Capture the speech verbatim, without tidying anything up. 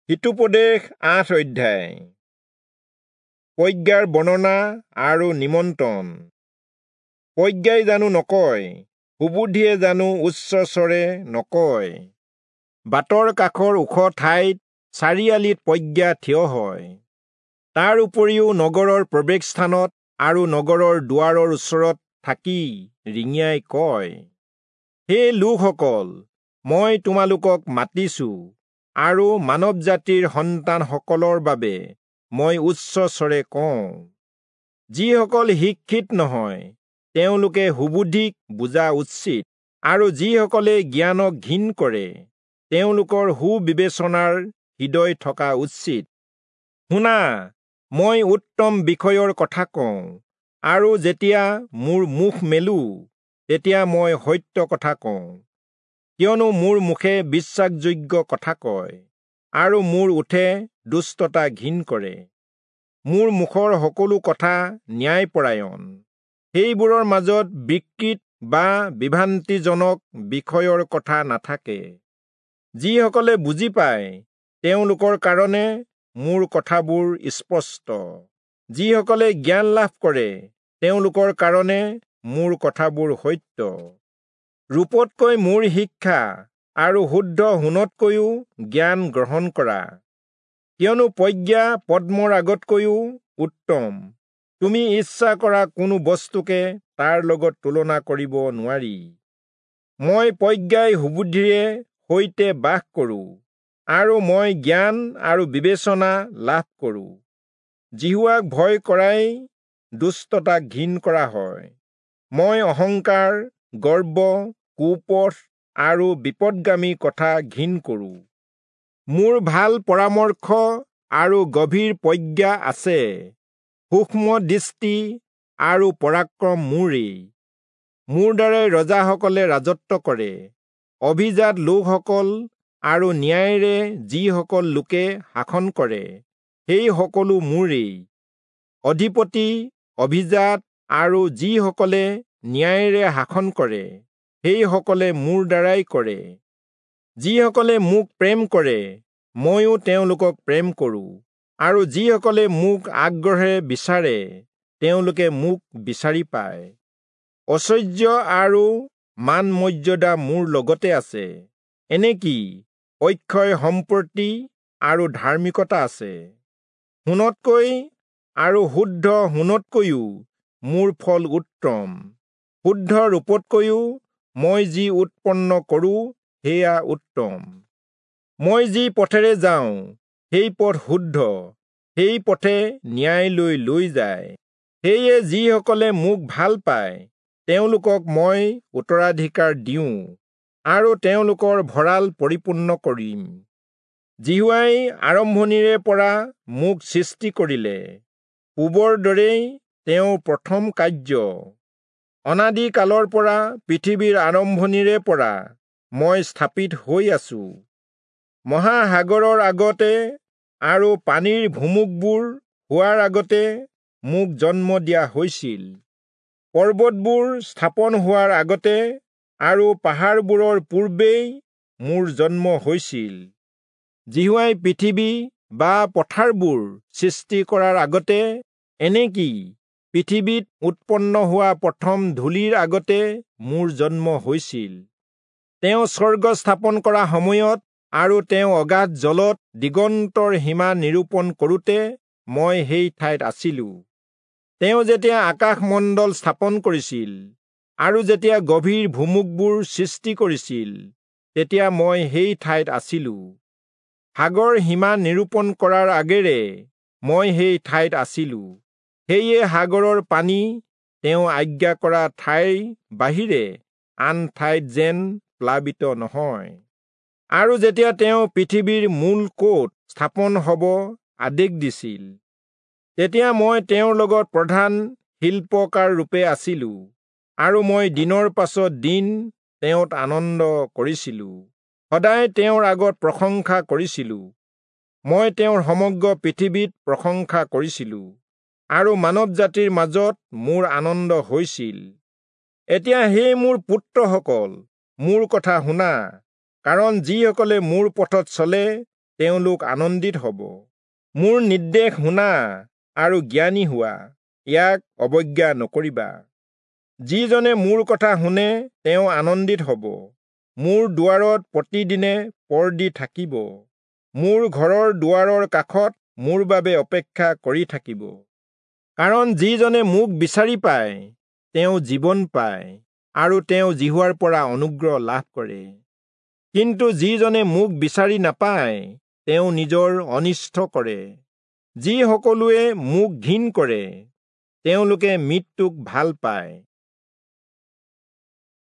হিতোপদেশ আঠ অধ্যায়। প্ৰজ্ঞাৰ বৰ্ণনা আৰু নিমন্ত্ৰণ। প্ৰজ্ঞাই জানো নকয়, সুবুদ্ধিয়ে জানো উচ্চস্বৰে নকয়। বাটৰ কাষৰ ওখ ঠাইত চাৰিআলিত প্ৰজ্ঞা থিয় হয়। তাৰ উপৰিও নগৰৰ প্ৰৱেশস্থানত আৰু নগৰৰ দুৱাৰৰ ওচৰত থাকি ৰিঙিয়াই কয়, হে লোকসকল, মই তোমালোকক মাতিছো আৰু মানৱ জাতিৰ সন্তানসকলৰ বাবে মই উচ্চস্বৰে কওঁ। যিসকল শিক্ষিত নহয় তেওঁলোকে সুবুদ্ধিক বুজা উচিত, আৰু যিসকলে জ্ঞানক ঘিণ কৰে তেওঁলোকৰ সুবিবেচনাৰ হৃদয় থকা উচিত। শুনা, মই উত্তম বিষয়ৰ কথা কওঁ, আৰু যেতিয়া মোৰ মুখ মেলো তেতিয়া মই সত্য কথা কওঁ। কিয়নো মোৰ মুখে বিশ্বাসযোগ্য কথা কয়, আৰু মোৰ ওঁঠে দুষ্টতা ঘিণ কৰে। মোৰ মুখৰ সকলো কথা ন্যায়পৰায়ণ, সেইবোৰৰ মাজত বিকৃত বা বিভ্ৰান্তিজনক বিষয়ৰ কথা নাথাকে। যিসকলে বুজি পায় তেওঁলোকৰ কাৰণে মোৰ কথাবোৰ স্পষ্ট, যিসকলে জ্ঞান লাভ কৰে তেওঁলোকৰ কাৰণে মোৰ কথাবোৰ সত্য। ৰূপতকৈ মোৰ শিক্ষা আৰু শুদ্ধ সোণতকৈও জ্ঞান গ্ৰহণ কৰা, কিয়নো প্ৰজ্ঞা পদ্মৰ আগতকৈও উত্তম। তুমি ইচ্ছা কৰা কোনো বস্তুকে তাৰ লগত তুলনা কৰিব নোৱাৰি। মই প্ৰজ্ঞাই সুবুদ্ধিৰে সৈতে বাস কৰোঁ, আৰু মই জ্ঞান আৰু বিবেচনা লাভ কৰোঁ। যিহোৱাক ভয় কৰাই দুষ্টতাক ঘিণ কৰা হয়। মই অহংকাৰ, গৰ্ব, কুপথ আৰু বিপদগামী কথা ঘিণ কৰোঁ। মোৰ ভাল পৰামৰ্শ আৰু গভীৰ প্ৰজ্ঞা আছে, সূক্ষ্ম দৃষ্টি আৰু পৰাক্ৰম মোৰেই। মোৰ দ্বাৰাই ৰজাসকলে ৰাজত্ব কৰে, অভিজাত লোকসকল আৰু ন্যায়েৰে যিসকল লোকে শাসন কৰে সেই সকলো মোৰেই। অধিপতি, অভিজাত আৰু যিসকলে ন্যায়েৰে শাসন কৰে সেইসকলে মোৰ দ্বাৰাই কৰে। যিসকলে মোক প্ৰেম কৰে ময়ো তেওঁলোকক প্ৰেম কৰোঁ, আৰু যিসকলে মোক আগ্ৰহেৰে বিচাৰে তেওঁলোকে মোক বিচাৰি পায়। ঐশ্বৰ্য আৰু মান মৰ্যাদা মোৰ লগতে আছে, এনেকি অক্ষয় সম্পত্তি আৰু ধাৰ্মিকতা আছে। সোণতকৈ আৰু শুদ্ধ সোণতকৈও মোৰ ফল উত্তম, শুদ্ধ ৰূপতকৈও মই যি উৎপন্ন কৰোঁ সেয়া উত্তম। মই যি পথেৰে যাওঁ সেই পথ শুদ্ধ, সেই পথে ন্যায়লৈ লৈ যায়। সেয়ে যিসকলে মোক ভাল পায় তেওঁলোকক মই উত্তৰাধিকাৰ দিওঁ, আৰু তেওঁলোকৰ ভঁৰাল পৰিপূৰ্ণ কৰিম। যিহোৱাই আৰম্ভণিৰে পৰা মোক সৃষ্টি কৰিলে, পূবৰ দৰেই তেওঁৰ প্ৰথম কাৰ্য। অনাদি কালৰ পৰা, পৃথিৱীৰ আৰম্ভণিৰে পৰা মই স্থাপিত হৈ আছো। মহাসাগৰৰ আগতে আৰু পানীৰ ভুমুকবোৰ হোৱাৰ আগতে মোক জন্ম দিয়া হৈছিল। পৰ্বতবোৰ স্থাপন হোৱাৰ আগতে আৰু পাহাৰবোৰৰ পূৰ্বেই মোৰ জন্ম হৈছিল। যিহোৱাই পৃথিৱী বা পথাৰবোৰ সৃষ্টি কৰাৰ আগতে, এনেকি পৃথিৱীত উৎপন্ন হোৱা প্ৰথম ধূলিৰ আগতে মোৰ জন্ম হৈছিল। তেওঁ স্বৰ্গ স্থাপন কৰা সময়ত আৰু তেওঁ অগাধ জলত দিগন্তৰ সীমা নিৰূপণ কৰোঁতে মই সেই ঠাইত আছিলো। তেওঁ যেতিয়া আকাশমণ্ডল স্থাপন কৰিছিল আৰু যেতিয়া গভীৰ ভুমুকবোৰ সৃষ্টি কৰিছিল, তেতিয়া মই সেই ঠাইত আছিলো। সাগৰ সীমা নিৰূপণ কৰাৰ আগেৰে মই সেই ঠাইত আছিলো। সেয়ে সাগৰৰ পানী তেওঁ আজ্ঞা কৰা ঠাইৰ বাহিৰে আন ঠাইত যেন প্লাবিত নহয়। আৰু যেতিয়া তেওঁ পৃথিৱীৰ মূল ক'ত স্থাপন হ'ব আদেশ দিছিল, তেতিয়া মই তেওঁৰ লগত প্ৰধান শিল্পকাৰ ৰূপে আছিলো, আৰু মই দিনৰ পাছত দিন তেওঁত আনন্দ কৰিছিলো, সদায় তেওঁৰ আগত প্ৰশংসা কৰিছিলো। মই তেওঁৰ সমগ্ৰ পৃথিৱীত প্ৰশংসা কৰিছিলো, আৰু মানৱ জাতিৰ মাজত মোৰ আনন্দ হৈছিল। এতিয়া হে মোৰ পুত্ৰসকল, মোৰ কথা শুনা, কাৰণ যিসকলে মোৰ পথত চলে তেওঁলোক আনন্দিত হ'ব। মোৰ নিৰ্দেশ শুনা আৰু জ্ঞানী হোৱা, ইয়াক অৱজ্ঞা নকৰিবা। যিজনে মোৰ কথা শুনে তেওঁ আনন্দিত হ'ব, মোৰ দুৱাৰত প্ৰতিদিনে পৰ দি থাকিব, মোৰ ঘৰৰ দুৱাৰৰ কাষত মোৰ বাবে অপেক্ষা কৰি থাকিব। কাৰণ যিজনে মোক বিচাৰি পায় তেওঁ জীৱন পায়, আৰু তেওঁ যিহোৱাৰ পৰা অনুগ্ৰহ লাভ কৰে। কিন্তু যিজনে মোক বিচাৰি নাপায় তেওঁ নিজৰ অনিষ্ট কৰে। যি সকলোৱে মোক ঘিণ কৰে তেওঁলোকে মৃত্যুক ভাল পায়।